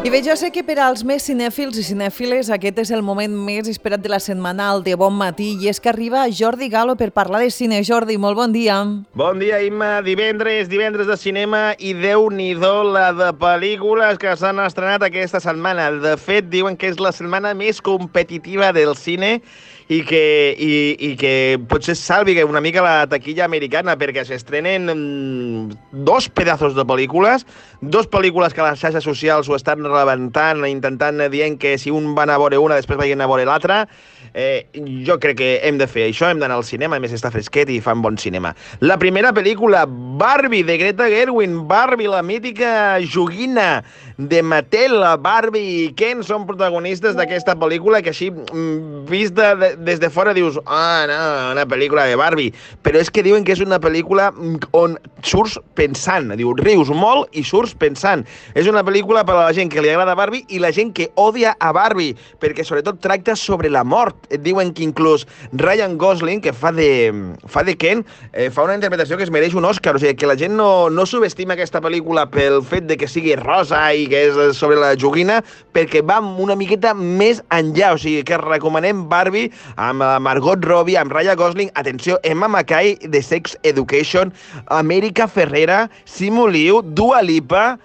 I bé, jo sé que per als més cinèfils i cinèfiles aquest és el moment més esperat de la setmana, el de Bon Matí, i és que arriba Jordi Galo per parlar de cine. Jordi, molt bon dia. Bon dia, Imma. Divendres de cinema i Déu-n'hi-do la de pel·lícules que s'han estrenat aquesta setmana. De fet, diuen que és la setmana més competitiva del cine i que potser salvi una mica la taquilla americana, perquè s'estrenen dos pedazos de pel·lícules, dos pel·lícules que les xarxes socials ho estan rebentant, intentant dient que si un va anar a veure una, després vagin a veure l'altra. Jo crec que hem de fer això, hem d'anar al cinema, a més està fresquet i fan bon cinema. La primera pel·lícula, Barbie, de Greta Gerwig. Barbie, la mítica joguina de Mattel. Barbie i Ken són protagonistes d'aquesta pel·lícula que així, vista des de fora, dius no, una pel·lícula de Barbie. Però és que diuen que és una pel·lícula on surts pensant. Diu, rius molt i surts pensant. És una pel·lícula per a la gent que li agrada Barbie i la gent que odia a Barbie, perquè sobretot tracta sobre la mort. Diuen que inclús Ryan Gosling, que fa de Ken, fa una interpretació que es mereix un Òscar. O sigui, que la gent no subestima aquesta pel·lícula pel fet de que sigui rosa i que és sobre la joguina, perquè va una miqueta més enllà. O sigui, que recomanem Barbie amb Margot Robbie, amb Ryan Gosling, atenció, Emma Mackay de Sex Education, América Ferrera, Simu Liu, Dua Lipa,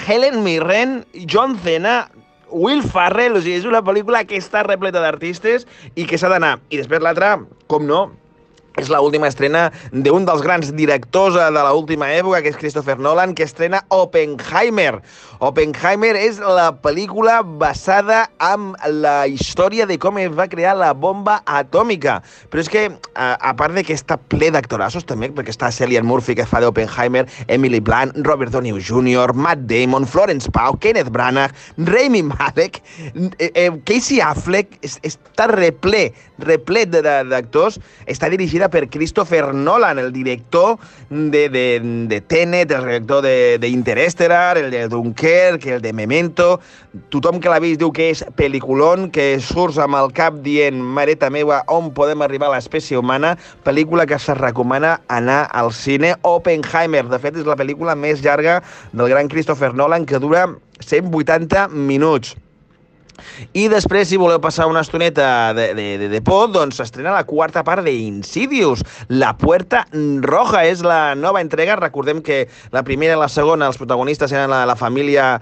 Helen Mirren, John Cena, Will Ferrell. O sigui, és una pel·lícula que està repleta d'artistes i que s'ha d'anar. I després l'altra, com no, és l'última estrena d'un dels grans directors de l'última època, que és Christopher Nolan, que estrena Oppenheimer. Oppenheimer és la pel·lícula basada en la història de com es va crear la bomba atòmica. Però és que, a part de que està ple d'actorassos també, perquè està Cillian Murphy, que fa d'Oppenheimer, Emily Blunt, Robert Downey Jr., Matt Damon, Florence Pugh, Kenneth Branagh, Rami Malek, Casey Affleck, està replet d'actors. Està dirigida per Christopher Nolan, el director de Tenet, el director d'Interestelar, el de Dunkerque, el de Memento. Tothom que l'ha vist diu que és pel·liculón, que surts amb el cap dient, mareta meva, on podem arribar a l'espècie humana. Pel·lícula que se recomana anar al cine. Oppenheimer, de fet, és la pel·lícula més llarga del gran Christopher Nolan, que dura 180 minuts. I després, si voleu passar una estoneta de por, doncs s'estrena la quarta part d'Insidious. La Puerta Roja és la nova entrega. Recordem que la primera i la segona, els protagonistes eren la família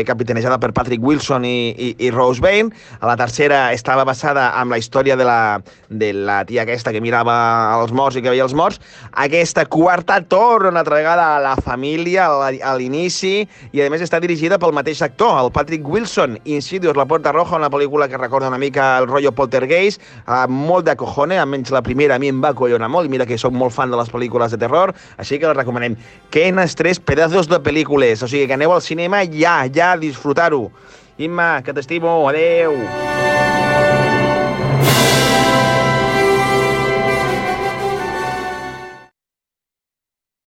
capitanejada per Patrick Wilson i Rose Byrne. A la tercera estava basada en la història de la tia aquesta que mirava els morts i que veia els morts. Aquesta quarta torna una altra vegada a la família, a l'inici, i a més està dirigida pel mateix actor, el Patrick Wilson. Insidious, La Puerta Roja, una pel·lícula que recorda una mica el rotllo Poltergeist, molt de cojones, almenys la primera a mi em va collonar molt, i mira que soc molt fan de les pel·lícules de terror, així que la recomanem. Quenes 3 pedazos de pel·lícules, o sigui que aneu al cinema ja a disfrutar-ho. Imma, que t'estimo, adeu!